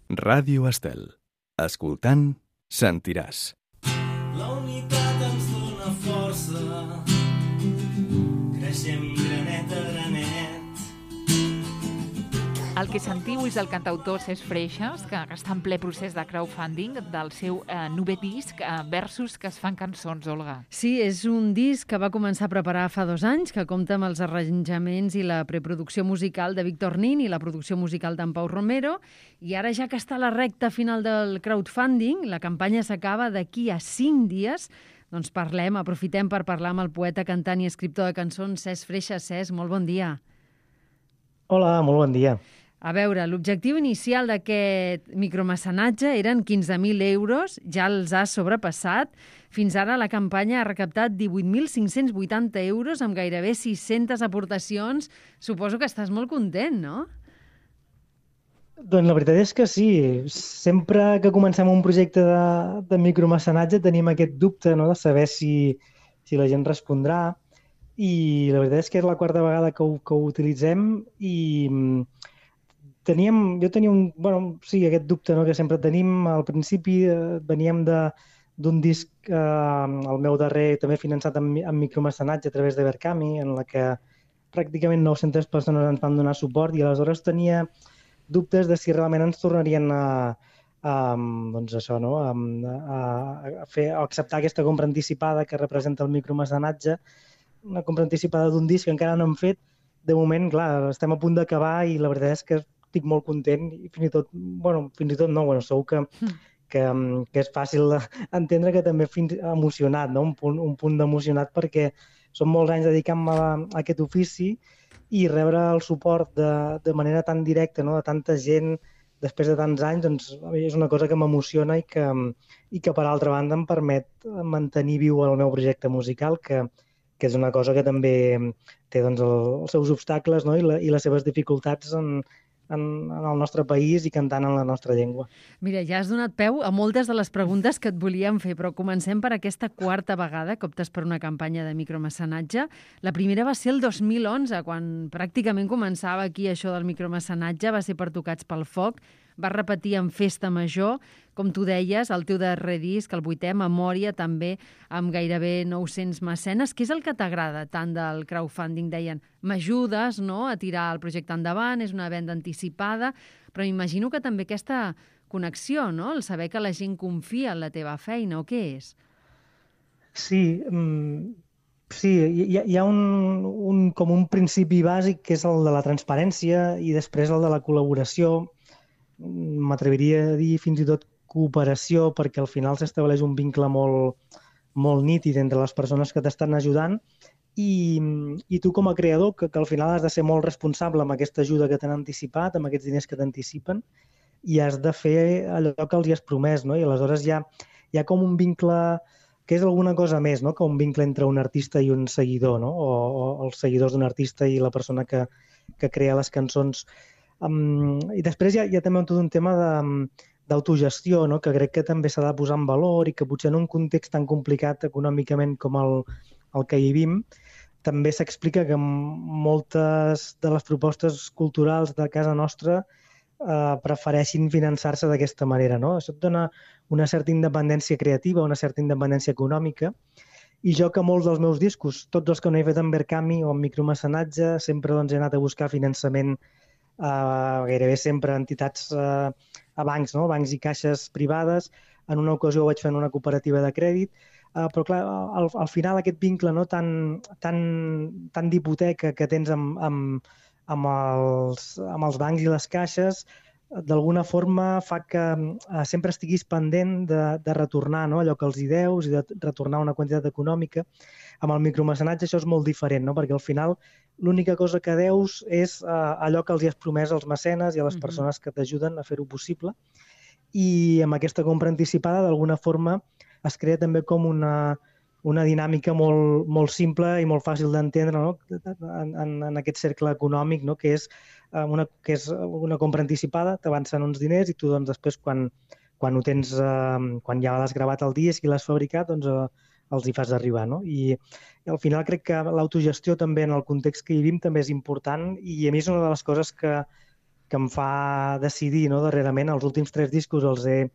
Ràdio Estel. Escoltant, sentiràs. La unitat ens dona força, creixem granet a granet. El que sentiu és el cantautor Cesc Freixas, que està en ple procés de crowdfunding del seu novè disc, Versos que es fan cançons, Olga. Sí, és un disc que va començar a preparar fa 2 anys, que compta amb els arranjaments i la preproducció musical de Víctor Nin i la producció musical d'en Pau Romero, i ara ja que està a la recta final del crowdfunding, la campanya s'acaba d'aquí a 5 dies, doncs aprofitem per parlar amb el poeta, cantant i escriptor de cançons Cesc Freixas. Cesc, molt bon dia. Hola, molt bon dia. A veure, l'objectiu inicial d'aquest micromecenatge eren 15.000 euros, ja els ha sobrepassat. Fins ara la campanya ha recaptat 18.580 euros amb gairebé 600 aportacions. Suposo que estàs molt content, no? Doncs la veritat és que sí. Sempre que comencem un projecte de micromecenatge tenim aquest dubte, no?, de saber si la gent respondrà. I la veritat és que és la 4a vegada que ho utilitzem i jo tenia aquest dubte, no?, que sempre tenim. Al principi veníem d'un disc, el meu darrer, també finançat amb micromecenatge a través de Berkami, en la que pràcticament 900 persones ens van donar suport, i aleshores tenia dubtes de si realment ens tornarien a acceptar aquesta compra anticipada que representa el micromecenatge, una compra anticipada d'un disc que encara no hem fet. De moment, clar, estem a punt d'acabar i la veritat és que estic molt content i fins i tot no, segur que és fàcil entendre que també emocionat, no? Un punt d'emocionat, perquè són molts anys dedicant-me a aquest ofici i rebre el suport de manera tan directa, no?, de tanta gent després de tants anys, doncs és una cosa que m'emociona i que per altra banda em permet mantenir viu el meu projecte musical, que és una cosa que també té, doncs, els seus obstacles, no?, i les seves dificultats en el nostre país i cantant en la nostra llengua. Mira, ja has donat peu a moltes de les preguntes que et volíem fer, però comencem per aquesta 4a vegada que optes per una campanya de micromecenatge. La primera va ser el 2011, quan pràcticament començava aquí això del micromecenatge, va ser per Tocats pel Foc, va repetir en Festa Major, com tu deies, el teu darrer disc, el 8è, Memòria, també amb gairebé 900 mecenes. Què és el que t'agrada tant del crowdfunding? Deien, m'ajudes, no?, a tirar el projecte endavant, és una venda anticipada, però m'imagino que també aquesta connexió, no?, el saber que la gent confia en la teva feina, o què és? Sí, hi ha com un principi bàsic, que és el de la transparència, i després el de la col·laboració. M'atreviria a dir fins i tot cooperació, perquè al final s'estableix un vincle molt nítid entre les persones que t'estan ajudant i tu com a creador, que al final has de ser molt responsable amb aquesta ajuda que t'han anticipat, amb aquests diners que t'anticipen, i has de fer allò que els hi has promès, no? I aleshores hi ha com un vincle que és alguna cosa més, no?, que un vincle entre un artista i un seguidor, no?, o els seguidors d'un artista i la persona que crea les cançons. I després hi ha també tot un tema d'autogestió, no?, que crec que també s'ha de posar en valor i que potser en un context tan complicat econòmicament com el que vivim, també s'explica que moltes de les propostes culturals de casa nostra prefereixin finançar-se d'aquesta manera, no? Això et dona una certa independència creativa, una certa independència econòmica, i jo, que molts dels meus discos, tots els que no he fet en Berkami o en micromecenatge, sempre he anat a buscar finançament gairebé sempre a entitats, a bancs, no?, bancs i caixes privades. En una ocasió ho vaig fer en una cooperativa de crèdit, però clar, al final aquest vincle, no?, tan d'hipoteca que tens amb els bancs i les caixes, d'alguna forma fa que sempre estiguis pendent de retornar, no?, allò que els hi deus i de retornar una quantitat econòmica. Amb el micromecenatge això és molt diferent, no?, perquè al final l'única cosa que deus és allò que els hi has promès als mecenes i a les persones que t'ajuden a fer-ho possible. I amb aquesta compra anticipada, d'alguna forma, es crea també com una dinàmica molt simple i molt fàcil d'entendre, no?, en aquest cercle econòmic, no?, que és una compra anticipada, t'avancen uns diners i tu, doncs, després, quan ho tens, quan ja l'has gravat el disc i l'has fabricat, doncs els hi fas arribar, no? I al final crec que l'autogestió també en el context que vivim també és important, i a mi és una de les coses que que em fa decidir, no, darrerament. Els últims 3 discos els he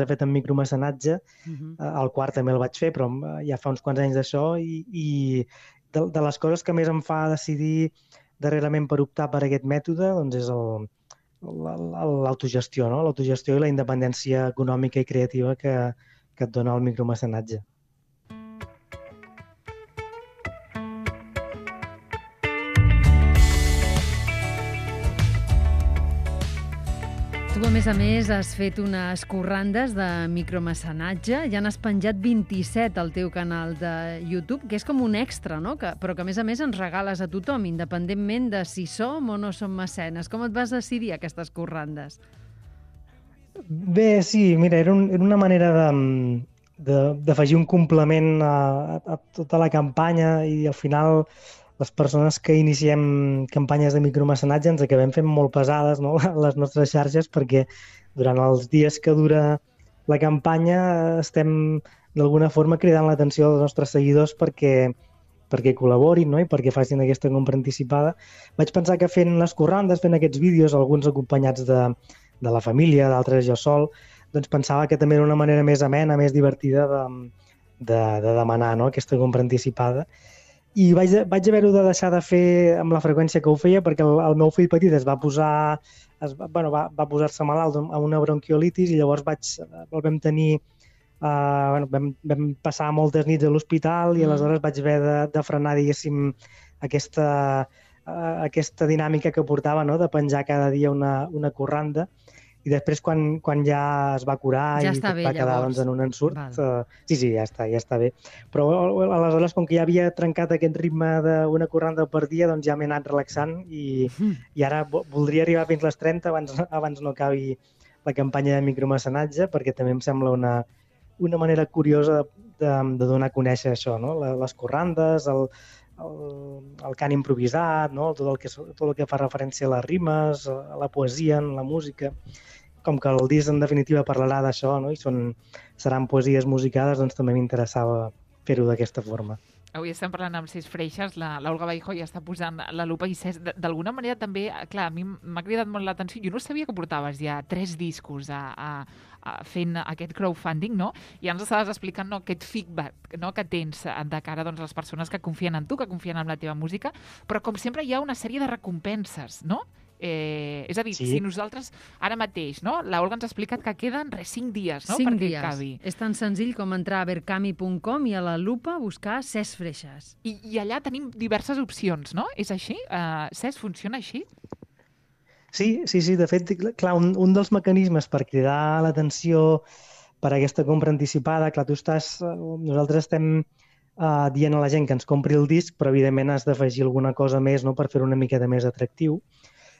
fet en micromecenatge. El quart també el vaig fer, però ja fa uns quants anys d'això, i de les coses que més em fa decidir darrerament per optar per aquest mètode doncs és l'autogestió, no? L'autogestió i la independència econòmica i creativa que et dona el micromecenatge. Tu, a més, has fet unes corrandes de micromecenatge. Ja n'has penjat 27 al teu canal de YouTube, que és com un extra, no? Però que, a més, ens regales a tothom, independentment de si som o no som mecenes. Com et vas decidir aquestes corrandes? Bé, sí, mira, era una manera d'afegir un complement a tota la campanya, i al final les persones que iniciem campanyes de micromecenatge ens acabem fent molt pesades, no?, les nostres xarxes, perquè durant els dies que dura la campanya estem d'alguna forma cridant l'atenció dels nostres seguidors perquè col·laborin, no?, i perquè facin aquesta compra anticipada. Vaig pensar que fent les corrandes, fent aquests vídeos, alguns acompanyats de la família, d'altres jo sol, doncs pensava que també era una manera més amena, més divertida de demanar, no?, aquesta compra anticipada. I vaig haver-ho de deixar de fer amb la freqüència que ho feia, perquè el meu fill petit va posar-se malalt amb una bronquiolitis, i llavors el vam tenir, vam passar moltes nits a l'hospital, i aleshores vaig haver de frenar, diguéssim, aquesta dinàmica que portava, no?, de penjar cada dia una corranda. I després, quan ja es va curar ja i va quedar llavors en un ensurt, sí, ja està bé. Però aleshores, com que ja havia trencat aquest ritme d'una corranda per dia, doncs ja m'he anat relaxant, i ara voldria arribar fins les 30 abans no acabi la campanya de micromecenatge, perquè també em sembla una manera curiosa de donar a conèixer això, no?, les corrandes, el cant improvisat, no?, tot el que fa referència a les rimes, a la poesia, a la música. Com que el disc en definitiva parlarà d'això, no?, i seran poesies musicades, doncs també m'interessava fer-ho d'aquesta forma. Avui estem parlant amb Cesc Freixas, l'Olga Baijo ja està posant la lupa, i Cesc, d'alguna manera també, clar, a mi m'ha cridat molt l'atenció, jo no sabia que portaves ja 3 discos fent aquest crowdfunding, no? I ens estaves explicant, no, aquest feedback, no, que tens de cara, doncs, a les persones que confien en tu, que confien en la teva música, però com sempre hi ha una sèrie de recompenses, no? És a dir, sí. Si nosaltres ara mateix, no? L'Olga ens ha explicat que queden 5 dies, no? 5 perquè dies. acabi. És tan senzill com entrar a verkami.com i a la lupa buscar Cesc Freixas. I allà tenim diverses opcions, no? És així? Cesc, funciona així? Sí. De fet, clar, un dels mecanismes per cridar l'atenció per aquesta compra anticipada, clar, nosaltres estem dient a la gent que ens compri el disc, però evidentment has d'afegir alguna cosa més, no?, per fer-ho una miqueta més atractiu.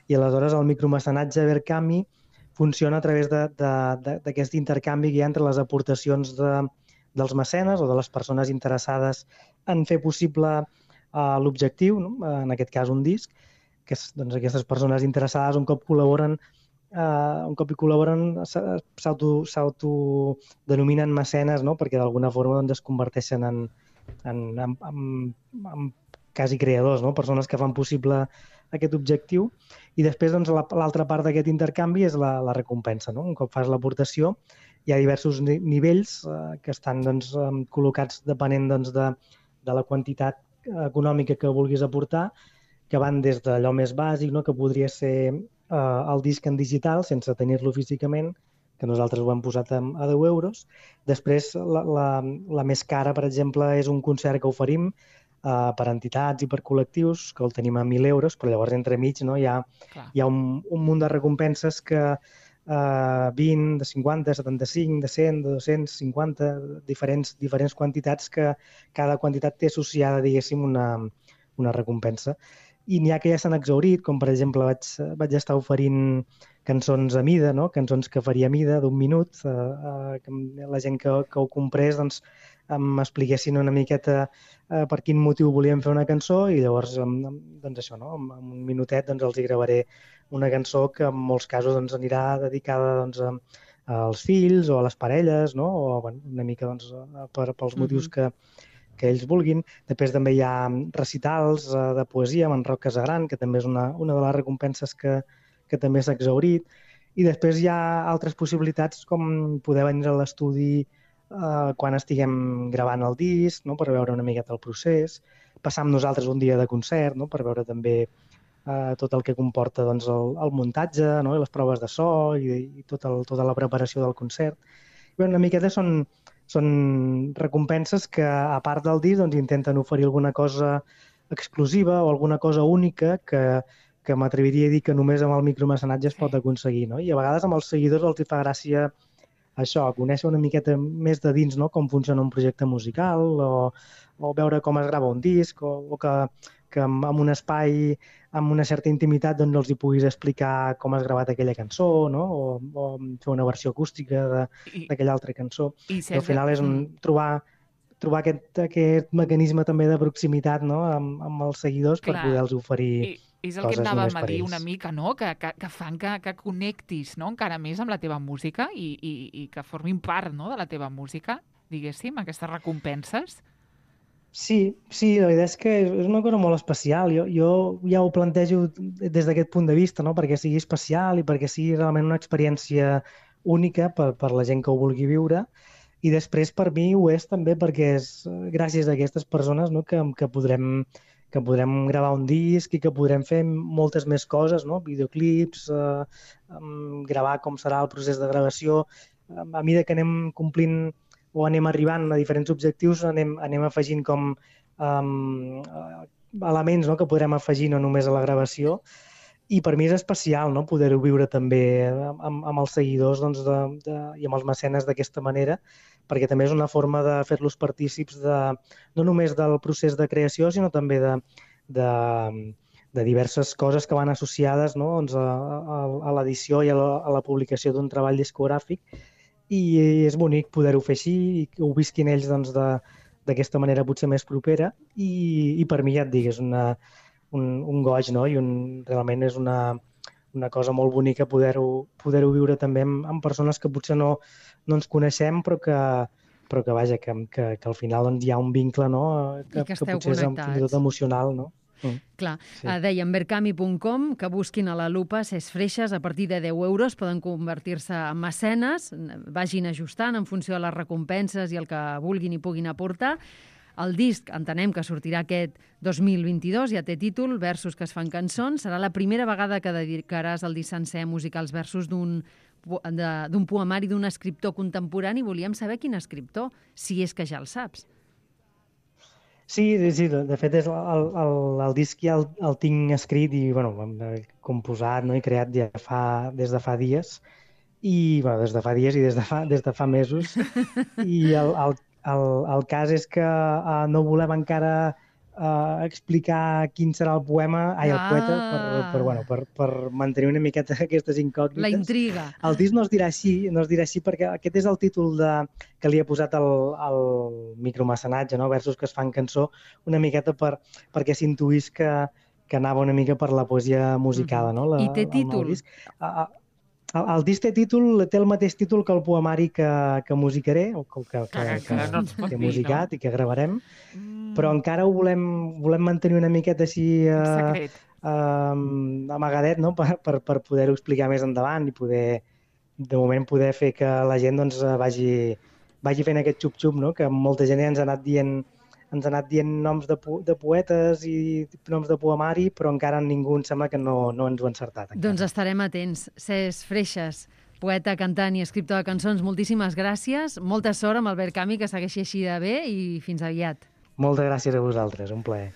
I aleshores el micromecenatge Verkami funciona a través d'aquest intercanvi que hi ha entre les aportacions dels mecenes o de les persones interessades en fer possible l'objectiu, no?, en aquest cas un disc, que doncs, aquestes persones interessades un cop hi col·laboren s'autodenominen mecenes, no?, perquè d'alguna forma doncs, es converteixen en quasi creadors, no?, persones que fan possible aquest objectiu. I després doncs, l'altra part d'aquest intercanvi és la recompensa, no? Un cop fas l'aportació hi ha diversos nivells que estan doncs, col·locats depenent doncs, de la quantitat econòmica que vulguis aportar, que van des d'allò més bàsic, no?, que podria ser el disc en digital sense tenir-lo físicament, que nosaltres ho hem posat a 10 euros. Després, la més cara, per exemple, és un concert que oferim per entitats i per col·lectius, que el tenim a 1.000 euros, però llavors entremig, no, hi ha un munt de recompenses que 20, de 50, 75, de 100, de 250, diferents quantitats, que cada quantitat té associada, diguéssim, una recompensa. I n'hi ha que ja s'han exhaurit, com per exemple vaig estar oferint cançons a mida, no?, cançons que faria a mida d'un minut, que la gent que ho comprés doncs, m'expliquessin una miqueta per quin motiu volíem fer una cançó, i llavors doncs això, no?, en un minutet doncs, els hi gravaré una cançó que en molts casos doncs, anirà dedicada doncs, als fills o a les parelles, no?, o bueno, una mica doncs, pels motius que ells vulguin. Després també hi ha recitals de poesia amb en Roc Casagran, que també és una de les recompenses que que també s'ha exhaurit. I després hi ha altres possibilitats com poder venir a l'estudi quan estiguem gravant el disc, no? Per veure una miqueta el procés, passar amb nosaltres un dia de concert, no? Per veure també tot el que comporta doncs, el muntatge, no? I les proves de so i tota la preparació del concert. I una miqueta són recompenses que, a part del disc, doncs, intenten oferir alguna cosa exclusiva o alguna cosa única que m'atreviria a dir que només amb el micromecenatge es pot aconseguir, no? I a vegades amb els seguidors els hi fa gràcia això, conèixer una miqueta més de dins, no? Com funciona un projecte musical o veure com es grava un disc o que en un espai amb una certa intimitat doncs els hi puguis explicar com has gravat aquella cançó, no? O fer una versió acústica d'aquella altra cançó. I al final és trobar aquest mecanisme també de proximitat, no? amb els seguidors. Clar, per poder-los oferir és el que anàvem a dir una mica, no? Que fan que connectis, no? Encara més amb la teva música i que formin part, no? De la teva música, diguéssim, aquestes recompenses. Sí, la veritat és que és una cosa molt especial. Jo ja ho plantejo des d'aquest punt de vista, no? Perquè sigui especial i perquè sigui realment una experiència única per la gent que ho vulgui viure. I després per mi ho és també perquè és gràcies a aquestes persones, no? que podrem gravar un disc i que podrem fer moltes més coses, no? Videoclips, gravar com serà el procés de gravació. A mesura que anem complint o anem arribant a diferents objectius, anem afegint com elements, no? Que podrem afegir no només a la gravació. I per mi és especial, no? Poder-ho viure també amb els seguidors doncs, i amb els mecenes d'aquesta manera, perquè també és una forma de fer-los partícips no només del procés de creació, sinó també de diverses coses que van associades, no? Doncs, a l'edició i a la publicació d'un treball discogràfic. I és bonic poder-ho fer així i que ho visquin ells doncs, d'aquesta manera potser més propera. I per mi, ja et dic, és un goig, no? I realment és una cosa molt bonica poder-ho viure també amb persones que potser no ens coneixem, però que vaja, que al final doncs, hi ha un vincle, no? Que potser és fins i tot emocional, no? Clar, sí. Dèiem berkami.com, que busquin a la lupa Ses Freixes, a partir de 10 euros poden convertir-se en mecenes, vagin ajustant en funció de les recompenses i el que vulguin i puguin aportar. El disc, entenem que sortirà aquest 2022, ja té títol, Versos que es fan cançons. Serà la primera vegada que dedicaràs el disc sencer a musicar els versos d'un poemari d'un escriptor contemporani. Volíem saber quin escriptor, si és que ja el saps. Sí, de fet el disc ja el tinc escrit i composat, no? I creat ja des de fa dies i des de fa mesos. I el cas és que no volem encara explicar quin serà el poeta per mantenir una miqueta aquestes incògnites. La intriga. El disc no es dirà així perquè aquest és el títol que li he posat al micromecenatge, no? Versos que es fan cançó, una miqueta perquè s'intuís que anava una mica per la poesia musicada, no? I té títol? El disc té el mateix títol que el poemari que musicaré, o que he musicat i que gravarem, però encara ho volem mantenir una miqueta així amagadet, no? Per poder-ho explicar més endavant i de moment poder fer que la gent doncs, vagi fent aquest xup-xup, no? Que molta gent ens ha anat dient noms de poetes i noms de poemari, però encara ningú em sembla que no ens ho ha encertat. Encara. Doncs estarem atents. Ses Freixes, poeta, cantant i escriptor de cançons, moltíssimes gràcies. Molta sort amb el Berkami, que segueixi així de bé i fins aviat. Moltes gràcies a vosaltres, un plaer.